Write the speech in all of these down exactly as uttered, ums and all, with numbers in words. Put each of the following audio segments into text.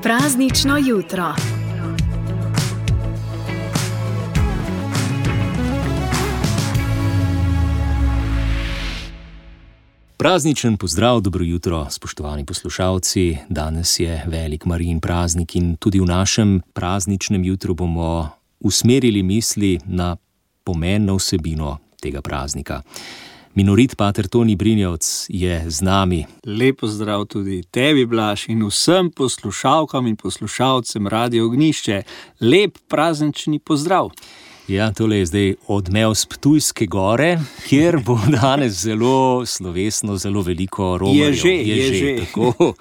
Praznično jutro. Prazničen pozdrav, dobro jutro, spoštovani poslušalci. Danes je velik Marijin praznik in tudi v našem prazničnem jutru bomo usmerili misli na pomen, na vsebino tega praznika. Minorit pater Toni Brinjevc je z nami. Lep pozdrav tudi tebi, Blaž, in vsem poslušalkam in poslušalcem Radio Ognjišče. Lep praznični pozdrav. Ja, tole je zdaj odmev z Ptujske gore, kjer bo danes zelo slovesno, zelo veliko romarjev. Je že, je, je že. že. Tako.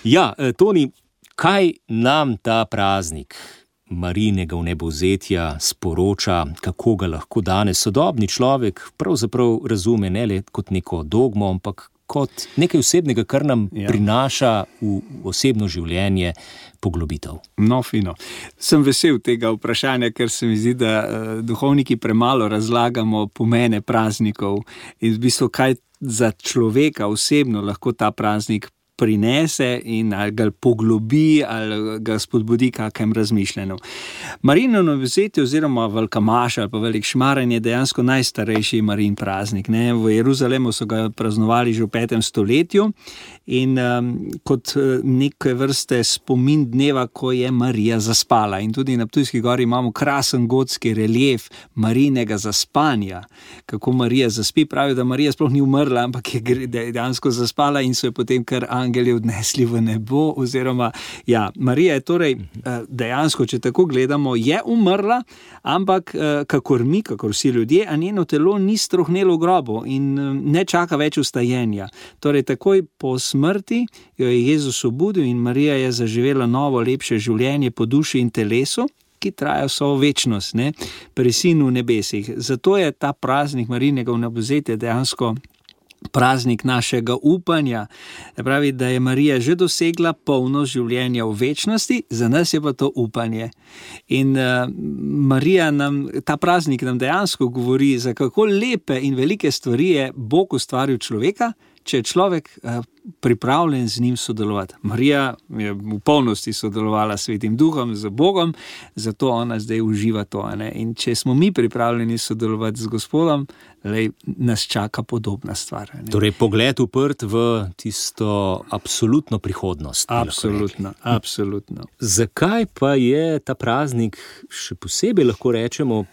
Ja, Toni, kaj nam ta praznik Marijinega vnebovzetja sporoča, kako ga lahko danes sodobni človek pravzaprav razume ne le kot neko dogmo, ampak kot nekaj osebnega, kar nam ja. prinaša v osebno življenje poglobitev. No, fino. Sem vesel tega vprašanja, ker se mi zdi, da uh, duhovniki premalo razlagamo pomene praznikov in v bistvu kaj za človeka osebno lahko ta praznik prinese in ali ga poglobi ali ga spodbudi kakem razmišljanju. Marijino vnebovzetje oziroma velika maša ali pa velik šmaranje je dejansko najstarejši Marijin praznik. Ne? V Jeruzalemu so ga praznovali že v petem stoletju in um, kot neke vrste spomin dneva, ko je Marija zaspala. In tudi na Ptujski gori imamo krasen gotski relief Marijinega zaspanja. Kako Marija zaspi, pravijo, da Marija sploh ni umrla, ampak je dejansko zaspala in so jo potem kar angeli odnesli v nebo, oziroma, ja, Marija je torej dejansko, če tako gledamo, je umrla, ampak kakor mi, kakor vsi ljudje, a njeno telo ni strohnelo v grobu in ne čaka več vstajenja. Torej, takoj po smrti jo je Jezus obudil in Marija je zaživela novo, lepše življenje po duši in telesu, ki traja vso večnost, ne, pri Sinu v nebesih. Zato je ta praznik Marijinega vnebovzetja dejansko praznik našega upanja. Pravi, da je Marija že dosegla polnost življenja v večnosti, za nas je pa to upanje. In uh, Marija nam, ta praznik nam dejansko govori, za kako lepe in velike stvari je Bog ustvaril človeka, če je človek uh, pripravljen z njim sodelovati. Marija je v polnosti sodelovala s Svetim Duhom, z Bogom, zato ona zdaj uživa to. Ne? In če smo mi pripravljeni sodelovati z Gospodom, lej, nas čaka podobna stvar. Ne? Torej, pogled uprt v tisto absolutno prihodnost. Absolutno, absolutno. Zakaj pa je ta praznik še posebej, lahko rečemo,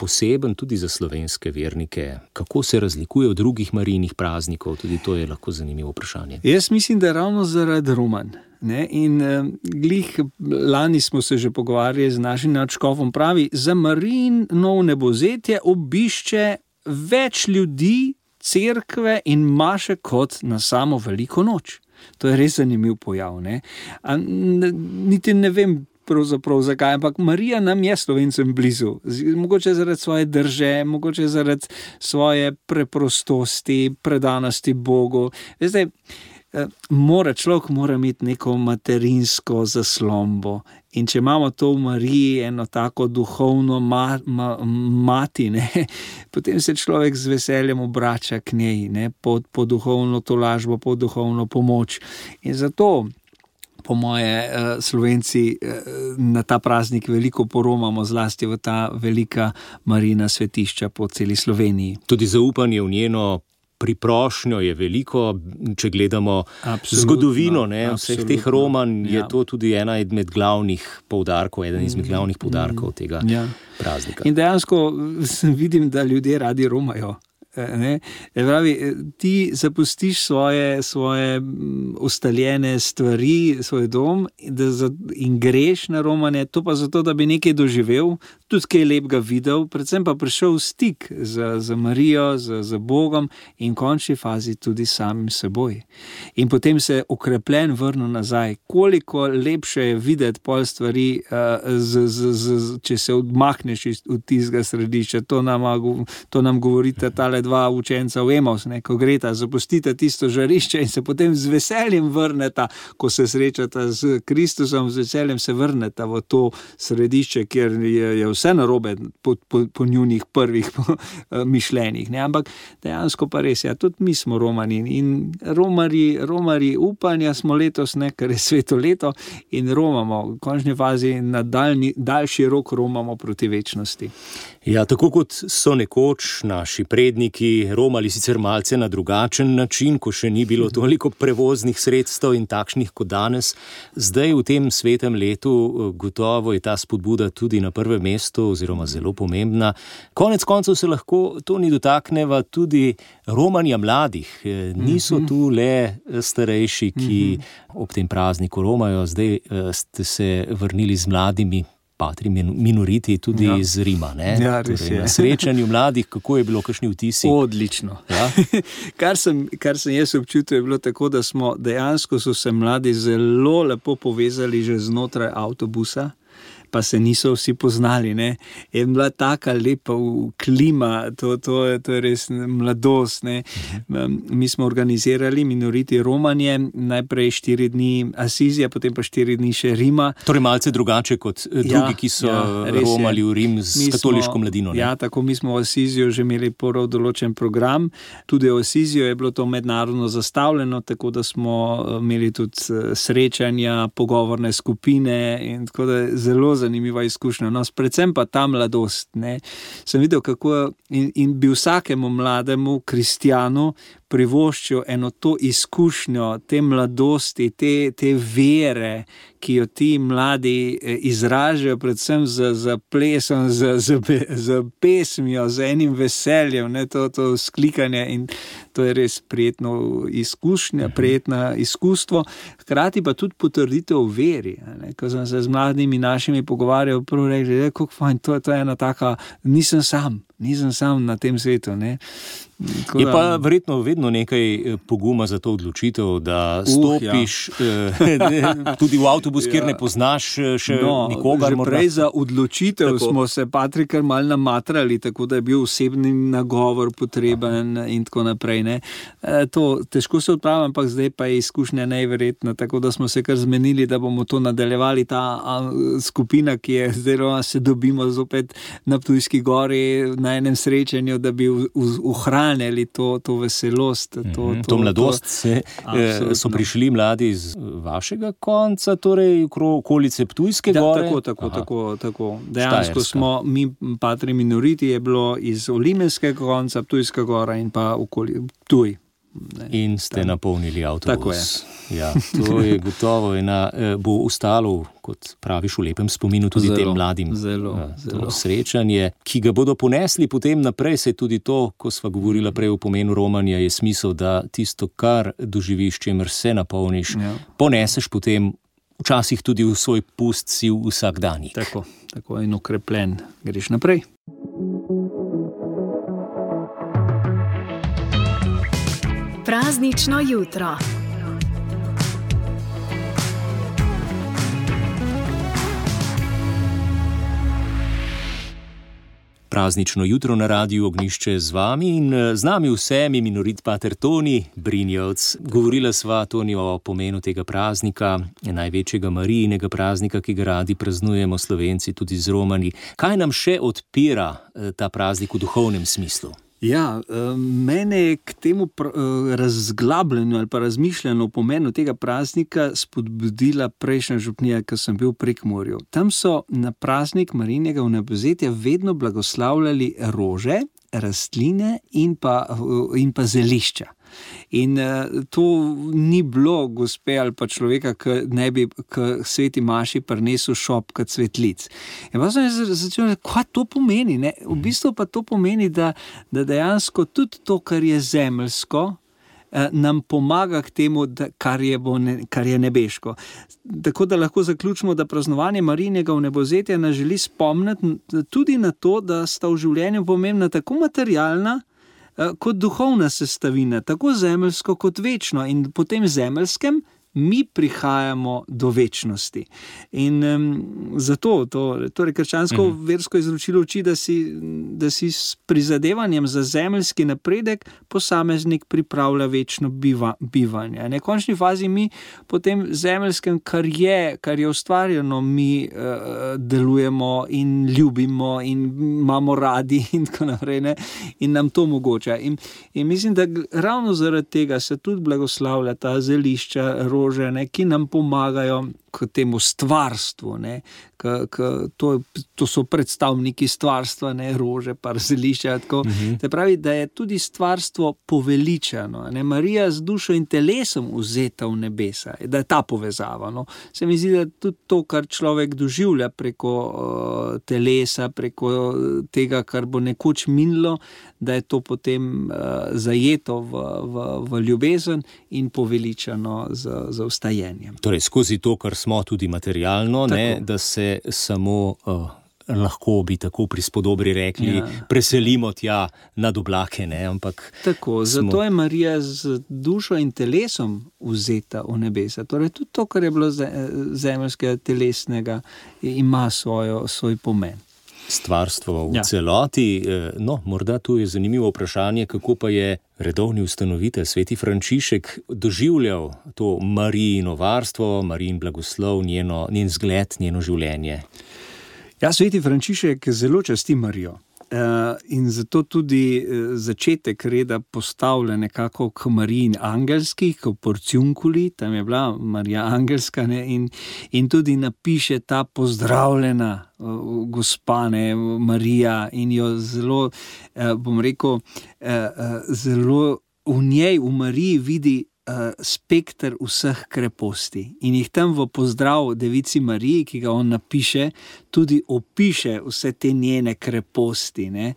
poseben tudi za slovenske vernike? Kako se razlikuje od drugih Marijinih praznikov? Tudi to je lahko zanimivo vprašanje. Jaz mislim, da je ravno zaradi romanj. Ne? In eh, glih lani smo se že pogovarjali z našim nadškofom, pravi, za Marijino vnebovzetje obišče več ljudi, cerkve in maše kot na samo veliko noč. To je res zanimiv pojav. Ne? A, n- niti ne vem, pravzaprav zakaj, ampak Marija nam je Slovencem blizu. Mogoče zaradi svoje drže, mogoče zaradi svoje preprostosti, predanosti Bogu. Veste, mora, človek mora imeti neko materinsko zaslombo. In če imamo to v Mariji, eno tako duhovno ma, ma, mati, ne, potem se človek z veseljem obrača k njej, ne, po, po duhovno tolažbo, po duhovno pomoč. In zato po moje Slovenci na ta praznik veliko poromamo, zlasti v ta velika Marijina svetišča po celi Sloveniji. Tudi zaupanje v njeno priprošnjo je veliko, če gledamo absolutno, zgodovino ne, vseh teh romanj, je ja. to tudi ena izmed glavnih poudarkov, eden izmed glavnih poudarkov tega ja. praznika. In dejansko vidim, da ljudje radi romajo. Ne? Pravi, ti zapustiš svoje, svoje ustaljene stvari, svoj dom da za, in greš na romanje, to pa zato, da bi nekaj doživel, tudi kaj lepega videl, predvsem pa prišel v stik z, z Marijo, z, z Bogom in v končni fazi tudi samim seboj. In potem se okrepljen vrnil nazaj. Koliko lepše je videti pol stvari, uh, z, z, z, če se odmahneš iz tistega središča. To nam, to nam govori tale dva učenca v Emaus, ne, ko greta, zapustita tisto žarišče in se potem z veseljem vrneta, ko se srečata z Kristusom, z veseljem se vrneta v to središče, kjer je, je vse narobe po, po, po njunih prvih po, mišljenjih. Ne. Ampak dejansko pa res, ja, tudi mi smo romani in romari, romari upanja smo letos, ne, ker je sveto leto in romamo, v končni fazi na daljni, daljši rok romamo proti večnosti. Ja, tako kot so nekoč naši predniki romali sicer malce na drugačen način, ko še ni bilo toliko prevoznih sredstev in takšnih kot danes, zdaj v tem svetem letu gotovo je ta spodbuda tudi na prvem mestu oziroma zelo pomembna. Konec koncev se lahko to ni dotakneva tudi romanja mladih. Niso tu le starejši, ki ob tem prazniku romajo, zdaj ste se vrnili z mladimi patri minoriti tudi ja. iz Rima. Ne? Ja, res torej, je. Na srečanju mladih, kako je bilo, kakšni vtisi? Odlično. Ja? kar, sem, kar sem jaz občutil, je bilo tako, da smo dejansko so se mladi zelo lepo povezali že znotraj avtobusa, pa se niso vsi poznali, ne. Je bila taka lepa klima, to, to, je, to je res mladost, ne. Mi smo organizirali minoriti romanje, najprej štiri dni Asizija, potem pa štiri dni še Rima. Torej malce drugače kot drugi, ja, ki so ja, romali v Rim z mi katoliško smo, mladino. Ne? Ja, tako mi smo v Asizijo že imeli prvo določen program. Tudi v Asizijo je bilo to mednarodno zastavljeno, tako da smo imeli tudi srečanja, pogovorne skupine in tako da zelo zanimiva izkušnja. No, predvsem pa ta mladost, ne. Sem videl, kako in, in bi vsakemu mlademu kristjanu privoščil eno to izkušnjo, te mladosti, te, te vere, ki jo ti mladi izražajo predvsem z, z plesom, z, z, z pesmijo, z enim veseljem, ne, to, to sklikanje in to je res prijetno izkušnja, prijetno izkustvo, hkrati pa tudi potrditev v veri. Ne. Ko sem se z mladimi našimi pogovarjal, prvo rekli, kako fajn, to, to je ena taka, nisem sam, nisem sam na tem svetu, ne. Tako je da, pa verjetno vedno nekaj poguma za to odločitev, da stopiš uh, ja. tudi v avtobus, kjer ja. ne poznaš še no, nikogar. Že morda. prej za odločitev tako. Smo se Patrik mal namatrali, tako da je bil osebni nagovor potreben Aha. in tako naprej. Ne. E, to težko se odpravim, ampak zdaj pa je izkušnja neverjetna, tako da smo se kar zmenili, da bomo to nadaljevali, ta a, skupina, ki je zdaj, se dobimo zopet na Ptujski gori na enem srečanju, da bi ohranili to, to veselost. To, to, to mladost. To, se, so prišli mladi iz vašega konca, torej okolice Ptujske da, gore? Tako, tako, tako, tako. Dejansko Štajerska. Smo, mi patri minoriti je bilo iz Olimenskega konca, Ptujska gora in pa okoli Ptuj. Ne, in ste tam napolnili avtobus. Tako je. Ja, to je gotovo ena, bo ostalo, kot praviš, v lepem spominu tudi zelo, tem mladim. Zelo, to zelo. Srečanje, ki ga bodo ponesli potem naprej, se tudi to, ko sva govorila prej o pomenu romanja, je smisel, da tisto, kar doživiš, čemer se napolniš, ja. poneseš potem včasih tudi v svoj pust si vsakdanjik. Tako, tako in okrepljen greš naprej. Praznično jutro. Praznično jutro na Radiu Ognjišče z vami in z nami vsemi minorit pater Toni Brinjevc. Govorila sva, Toni, o pomenu tega praznika, največjega Marijinega praznika, ki ga radi praznujemo Slovenci tudi z Romani. Kaj nam še odpira ta praznik v duhovnem smislu? Ja, mene je k temu razglabljenju ali pa razmišljanju o pomenu tega praznika spodbudila prejšnja župnija, ko sem bil v Prekmurju. Tam so na praznik Marijinega vnebovzetja vedno blagoslavljali rože, rastline in pa, in pa zelišča. In uh, to ni bilo gospe ali pa človeka, ki ne bi k sveti maši prinesel šopka cvetlic. In pa sem začel, kaj to pomeni? Ne? V bistvu pa to pomeni, da, da dejansko tudi to, kar je zemeljsko, uh, nam pomaga k temu, da, kar, je bo ne, kar je nebeško. Tako da lahko zaključimo, da praznovanje Marijinega vnebovzetja nas želi spomniti tudi na to, da sta v življenju pomembna tako materialna, kot duhovna sestavina, tako zemeljsko kot večno. In po tem zemeljskem mi prihajamo do večnosti. In um, zato to, torej krščansko mm. versko izročilo uči, da si, da si s prizadevanjem za zemeljski napredek posameznik pripravlja večno biva, bivanje. Na končni fazi mi po tem zemeljskem, kar je, kar je ustvarjeno, mi uh, delujemo in ljubimo in imamo radi in tako naprej, ne? In nam to omogoča. In, in mislim, da ravno zaradi tega se tudi blagoslavlja ta zelišča, rože, ne, ki nam pomagajo k temu stvarstvu, ne, k, k, to, to so predstavniki stvarstva, ne, rože, pa zelišča, tako. Uh-huh. Te pravi, da je tudi stvarstvo poveličano, ne, Marija z dušo in telesom vzeta v nebesa, da je ta povezava, no. Se mi zdi, da tudi to, kar človek doživlja preko uh, telesa, preko tega, kar bo nekoč minilo, da je to potem uh, zajeto v, v, v ljubezen in poveličano z, z vstajenjem. Torej, skozi to, kar smo tudi materialno, ne, da se samo, uh, lahko bi tako prispodobri rekli, ja. preselimo tja nad oblake, ne, ampak... Tako, smo... zato je Marija z dušo in telesom vzeta v nebesa. Torej, tudi to, kar je bilo zemeljskega, telesnega, ima svojo, svoj pomen. Stvarstvo v ja. celoti. No, morda tu je zanimivo vprašanje, kako pa je redovni ustanovitelj, sveti Frančišek, doživljal to Marijino varstvo, Marijin blagoslov, njeno, njen zgled, njeno življenje. Ja, sveti Frančišek zelo časti Marijo. Uh, in zato tudi uh, začetek reda postavlja nekako k Marijin angelski, k porciunkuli, tam je bila Marija angelska, ne, in, in tudi napiše ta pozdravljena uh, gospa, ne, Marija, in jo zelo, uh, bom rekel, uh, uh, zelo v njej, v Mariji vidi Uh, spekter vseh kreposti in jih tam v pozdrav Devici Mariji, ki ga on napiše, tudi opiše vse te njene kreposti, ne?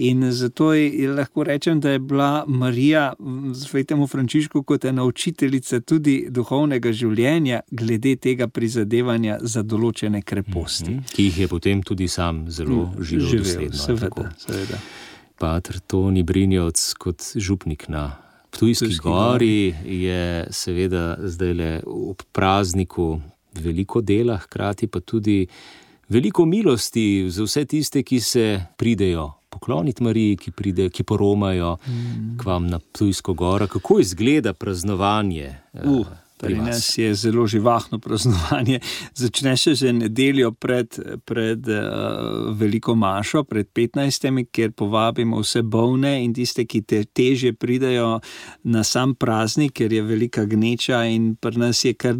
In zato je, lahko rečem, da je bila Marija svetemu Frančišku kot ena učiteljica tudi duhovnega življenja glede tega prizadevanja za določene kreposti. Mm-hmm. Ki jih je potem tudi sam zelo mm, živel, živel dosledno. Seveda, seveda. Pater Toni Brinjevc kot župnik na Ptujski gori je seveda zdajle ob prazniku veliko dela, hkrati pa tudi veliko milosti za vse tiste, ki se pridejo pokloniti Mariji, ki pridejo, ki poromajo mm. k vam na Ptujsko goro. Kako izgleda praznovanje? Uh. Pri nas je zelo živahno praznovanje. Začne se že nedeljo pred, pred uh, veliko mašo, pred petnajstimi, kjer povabimo vse bolne in tiste, ki te težje pridajo na sam praznik, ker je velika gneča in pri nas je kar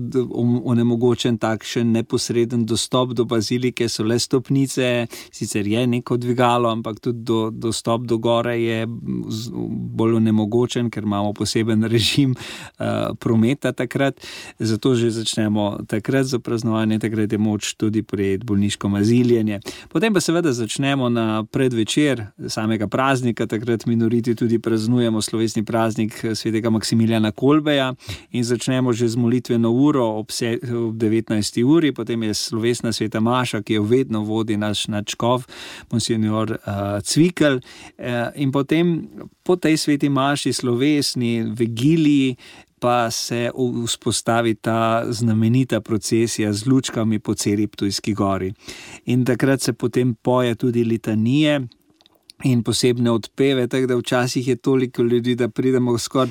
onemogočen takšen neposreden dostop do bazilike, so le stopnice, sicer je neko dvigalo, ampak tudi do, dostop do gore je bolj onemogočen, ker imamo poseben režim uh, prometa takrat. Zato že začnemo takrat za praznovanje, takrat je moč tudi prijeti bolniško maziljenje. Potem pa seveda začnemo na predvečer samega praznika, takrat minoriti tudi praznujemo slovesni praznik svetega Maksimilijana Kolbeja in začnemo že z molitveno uro ob, se, ob devetnajsti uri, potem je slovesna sveta maša, ki jo vedno vodi naš nadškof, monsignor uh, Cvikl, uh, in potem po tej sveti maši slovesni vigiliji pa se vzpostavi ta znamenita procesija z lučkami po celi Ptujski gori. In takrat se potem poje tudi litanije in posebne odpeve, tako da včasih je toliko ljudi, da pridemo skoraj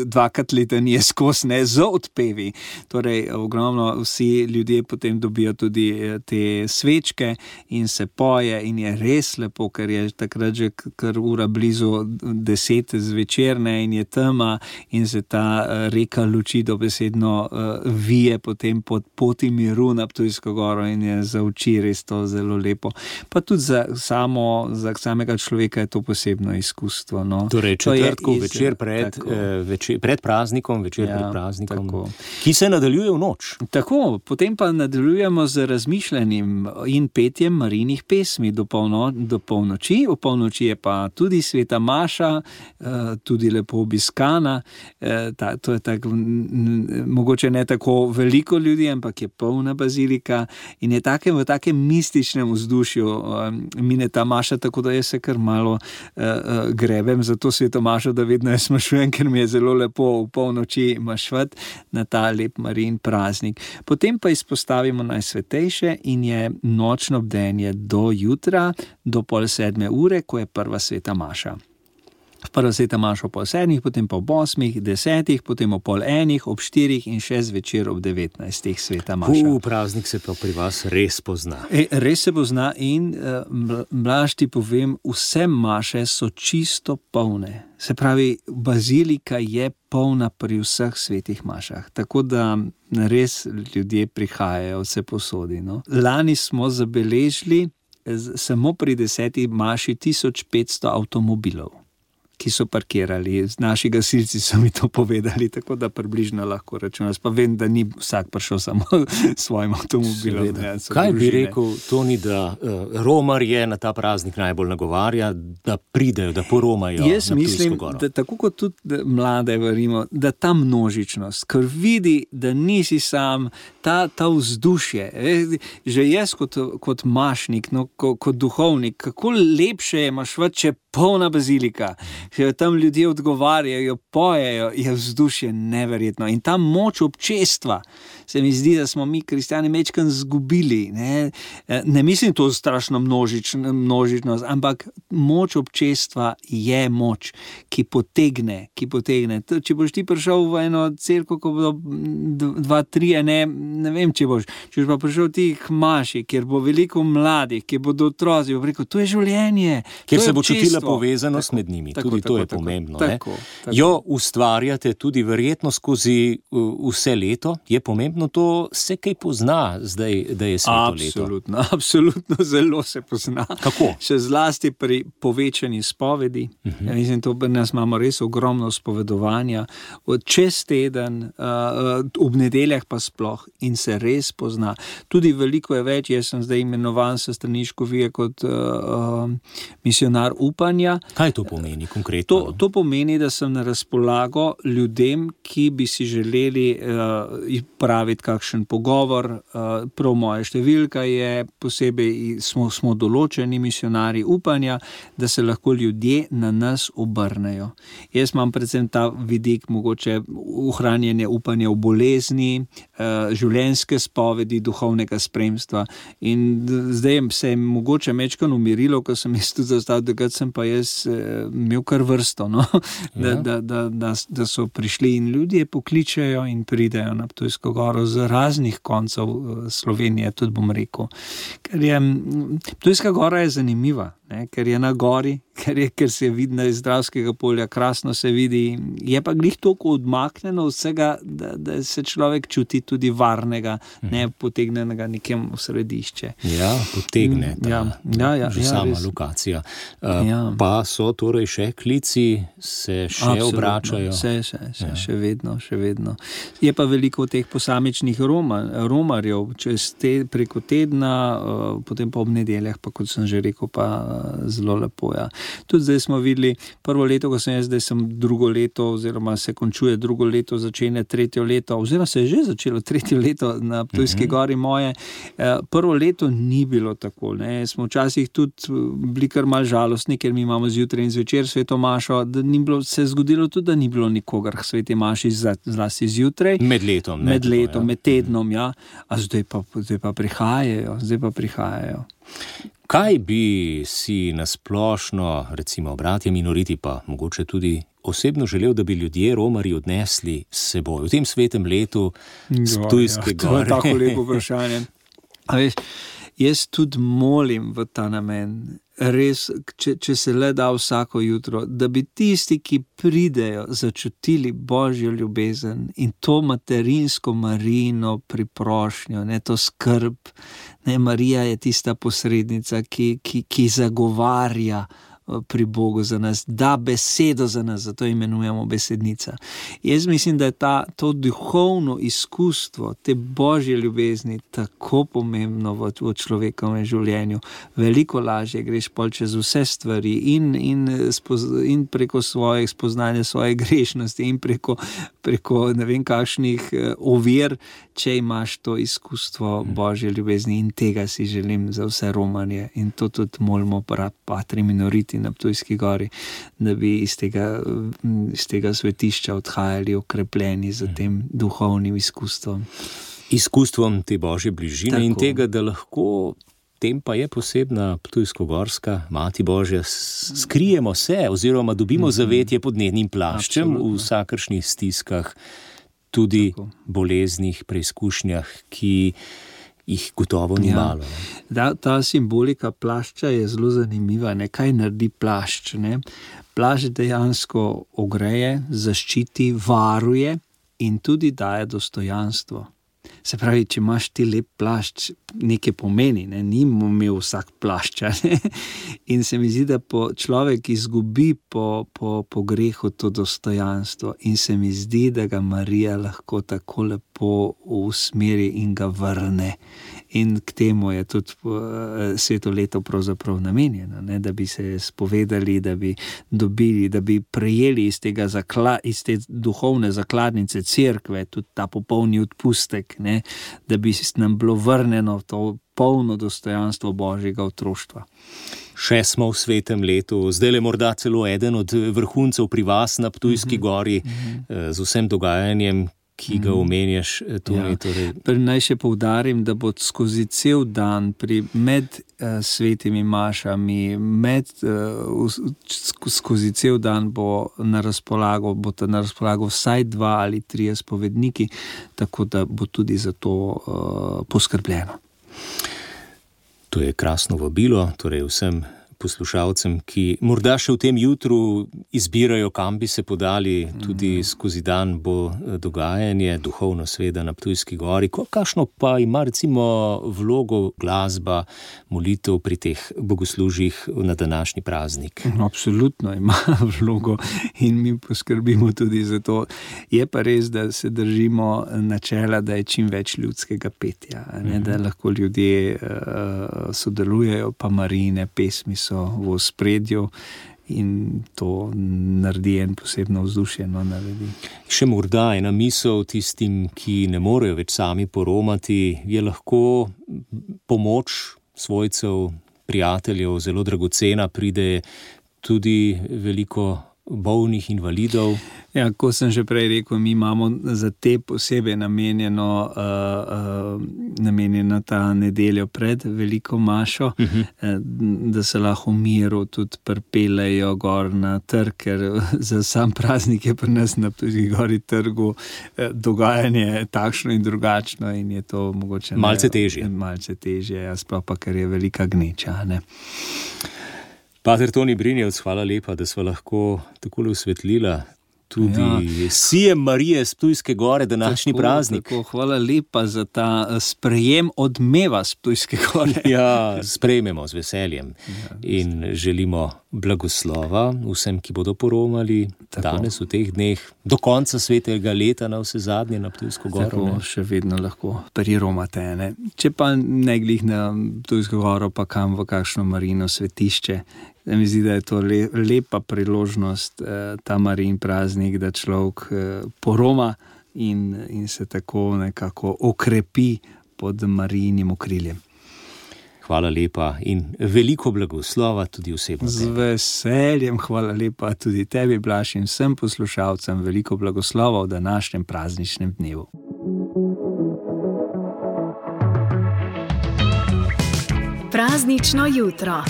dvakrat litanije skozi, ne, z odpevi. Torej, ogromno vsi ljudje potem dobijo tudi te svečke in se poje in je res lepo, ker je takrat že kar ura blizu deset zvečerne in je tema in se ta reka luči dobesedno uh, vije potem pod poti miru na Ptujsko goro in je za oči res to zelo lepo. Pa tudi za, samo, za samega človeka je to posebno izkustvo. No. Torej, četrtkov večer pred, eh, večer pred praznikom, večer ja, pred praznikom, tako. Ki se nadaljuje v noč. Tako, potem pa nadaljujemo z razmišljanjem in petjem Marijinih pesmi do, polno, do polnoči. V polnoči je pa tudi sveta maša, eh, tudi lepo obiskana. Eh, ta, to je tako, mogoče ne tako veliko ljudi, ampak je polna bazilika in je take, v takem mističnem vzdušju eh, mine ta maša, tako da jaz se kar kar malo uh, uh, grebem za to svetomašo, da vedno jaz mašujem, ker mi je zelo lepo v polnoči mašvat na ta lep Marijin praznik. Potem pa izpostavimo najsvetejše in je nočno bdenje do jutra, do pol sedme ure, ko je prva sveta maša. Prva sveta maša ob pol sedmih, potem pa ob osmih, desetih, potem ob pol enih, ob štirih in še zvečer ob devetnajstih sveta maša. U, praznik se pa pri vas res pozna. E, res se pozna in Blaž ti povem, vse maše so čisto polne. Se pravi, bazilika je polna pri vseh svetih mašah, tako da res ljudje prihajajo vse posodi. No? Lani smo zabeležili samo pri deseti maši tisoč petsto avtomobilov, ki so parkirali. Naši gasilci so mi to povedali, tako da približno lahko računam. Pa vem, da ni vsak prišel samo s svojim avtomobilom. Ne, Kaj bi rekel, Toni, da uh, romarje na ta praznik najbolj nagovarja, da pridejo, da poromajo Jaz na mislim, Ptujsko goro? da tako kot tudi mlade verimo, da ta množičnost, ker vidi, da nisi sam, ta, ta vzdušje. Že jaz kot, kot mašnik, no, kot, kot duhovnik, kako lepše je mašvat, če polna bazilika, če tam ljudje odgovarjajo, pojejo, je vzdušje neverjetno. In ta moč občestva, se mi zdi, da smo mi kristjani mečkan zgubili. Ne, ne mislim to strašno množič, množičnost, ampak moč občestva je moč, ki potegne, ki potegne. Če boš ti prišel v eno cerkev, ko bodo dva, tri, ne, ne vem, če boš, če boš pa prišel ti k maši, kjer bo veliko mladih, kjer bodo otroci, bo rekel, to je življenje. Kjer se bo čutila povezanost tako, med njimi, tako, tudi tako, to je tako, pomembno. Tako, ne? Tako. Jo ustvarjate tudi verjetno skozi uh, vse leto, je pomembno to, se kaj pozna zdaj, da je sveto leto? Absolutno, absolutno zelo se pozna. Kako? Še zlasti pri povečani spovedi. Uh-huh. Ja, mislim, to pri nas imamo res ogromno spovedovanja, čez teden, uh, ob nedeljah pa sploh in se res pozna. Tudi veliko je več, jaz sem zdaj imenovan s strani škofije kot uh, uh, misionar upanja. Kaj to pomeni konkretno? To, to pomeni, da sem na razpolago ljudem, ki bi si želeli uh, praviti kakšen pogovor. Uh, prav moja številka je, posebej smo, smo določeni misionarji upanja, da se lahko ljudje na nas obrnejo. Jaz imam predvsem ta vidik, mogoče ohranjanje upanja v bolezni, uh, življenjske spovedi, duhovnega spremstva. In zdaj se je mogoče mečkano umirilo, ko sem jaz tudi zastal, da sem pa jaz eh, imel kar vrsto, no? da, Ja. da, da, da, da so prišli in ljudje pokličejo in pridejo na Ptujsko goro z raznih koncev eh, Slovenije, tudi bom rekel. Ker je, m, Ptujska gora je zanimiva, ne? Ker je na gori, ker, je, ker se vidi iz Dravskega polja, krasno se vidi, je pa glih toliko odmaknjeno vsega, da, da se človek čuti tudi varnega, ne potegnenega nekem v središče. Ja, potegne ta, Ja, ja, ja, že ja, sama res. lokacija. Uh, Ja. Pa so torej še klici, se še Absolutno. obračajo. Vse, še, še, Ja. še vedno, še vedno. Je pa veliko teh posamičnih Roma, romarjev, čez te, preko tedna, uh, potem pa ob nedeljah, pa kot sem že rekel, pa uh, zelo lepo. Ja. Tudi zdaj smo videli prvo leto, ko sem jaz, zdaj sem drugo leto, oziroma se končuje drugo leto, začenja tretje leto, oziroma se je že začelo tretje leto na Ptujski gori moje. Uh, prvo leto ni bilo tako, ne. Smo včasih tudi bili kar mal žalostni, ker mi imamo zjutraj in zvečer sveto mašo, da ni bilo, se je zgodilo tudi, da ni bilo nikogar k sveti maši zlasti zjutraj. Med letom. Ne, Med tako, letom, ja. med tednom, ja. A zdaj pa, zdaj pa prihajajo, zdaj pa prihajajo. Kaj bi si nasplošno, recimo bratje minoriti, pa mogoče tudi osebno želel, da bi ljudje romarji odnesli s seboj v tem svetem letu s Ptujske ja, to je gore? tako lepo vprašanje. A veš, jaz tudi molim v ta namen, res, če, če se le da vsako jutro, da bi tisti, ki pridejo, začutili Božjo ljubezen in to materinsko Marijino priprošnjo, ne, to skrb. Ne, Marija je tista posrednica, ki, ki, ki zagovarja pri Bogu za nas, da besedo za nas, zato imenujemo besednica. Jaz mislim, da je ta, to duhovno izkustvo, te Božje ljubezni tako pomembno v, v človekovem življenju. Veliko lažje greš pol čez vse stvari in, in, spoz, in preko svojih spoznanja svoje grešnosti in preko, preko ne vem kakšnih ovir, če imaš to izkustvo Božje ljubezni in tega si želim za vse Romanje in to tudi molimo Patri Minoriti leti na Ptujski gori, da bi iz tega, iz tega svetišča odhajali okrepljeni z tem duhovnim izkustvom. Izkustvom te Božje bližine. Tako. In tega, da lahko, tem pa je posebna Ptujsko-gorska Mati Božja, skrijemo se oziroma dobimo zavetje pod njenim plaščem. Absolutno. V vsakršnih stiskah, tudi tako. Boleznih preizkušnjah, ki jih gotovo ni ja. malo. Da, ta simbolika plašča je zelo zanimiva. Ne? Kaj naredi plašč? Ne? Plašč dejansko ogreje, zaščiti, varuje in tudi daje dostojanstvo. Se pravi, če imaš ti lep plašč, nekaj pomeni, ne? Ni imel vsak plašča. Ne? In se mi zdi, da po človek izgubi po, po, po grehu to dostojanstvo in se mi zdi, da ga Marija lahko tako lepo usmeri in ga vrne. In k temu je tudi sveto leto pravzaprav namenjeno, ne? Da bi se spovedali, da bi dobili, da bi prejeli iz, tega zakla, iz te duhovne zakladnice cerkve tudi ta popolni odpustek, ne? Da bi nam bilo vrneno to polno dostojanstvo Božjega otroštva. Še smo v svetem letu, zdaj je morda celo eden od vrhuncev pri vas na Ptujski gori, mm-hmm. z vsem dogajanjem, ki ga omenjaš. Torej, ja. torej. Naj še poudarim, da bo skozi cel dan pri, med uh, svetimi mašami, med, uh, skozi cel dan bo na razpolago, bo na razpolago vsaj dva ali trije spovedniki, tako da bo tudi za to uh, poskrbljeno. To je krasno vabilo, torej vsem poslušalcem, ki morda še v tem jutru izbirajo, kam bi se podali, tudi skozi dan bo dogajanje, duhovno sveda na Ptujski gori. Kakšno pa ima recimo vlogo glasba, molitev pri teh bogoslužjih na današnji praznik? Absolutno ima vlogo in mi poskrbimo tudi za to. Je pa res, da se držimo načela, da je čim več ljudskega petja, ne? Da lahko ljudje uh, sodelujejo, pa Marijine pesmi so v ospredju in to naredi en posebno vzdušje. No, naredi. Še morda ena misel tistim, ki ne morejo več sami poromati, je lahko pomoč svojcev, prijateljev zelo dragocena, pride tudi veliko bolnih invalidov. Ja, ko sem že prej rekel, mi imamo za te posebej namenjeno, uh, uh, namenjeno ta nedeljo pred veliko mašo, uh-huh. uh, da se lahko v miru tudi pripeljejo gor na trg, ker za sam praznik je pri nas na Ptujski gori trgu uh, dogajanje takšno in drugačno in je to mogoče malce težje. Malce težje, ja, sploh pa, ker je velika gneča, ne. Pater Toni Brinjevc, hvala lepa, da sva lahko takole osvetlila tudi ja. Sijem Marije s Ptujske gore, današnji tako, praznik. Tako, hvala lepa za ta sprejem odmeva s Ptujske gore. Ja, sprejmemo z veseljem ja, in želimo blagoslova vsem, ki bodo poromali tako. Danes v teh dneh, do konca svetega leta na vse zadnje na Ptujsko goro. Tako, ne? Še vedno lahko priromate, ne? Če pa ne glih na Ptujsko goro, pa kam v kakšno Marijino svetišče. Da mi zdi, da je to le, lepa priložnost, eh, ta Marijin praznik, da človek eh, poroma in, in se tako nekako okrepi pod Marijinim okriljem. Hvala lepa in veliko blagoslova tudi osebno. Z veseljem, hvala lepa tudi tebi, Blaž, in vsem poslušalcem veliko blagoslova v današnjem prazničnem dnevu. Praznično jutro.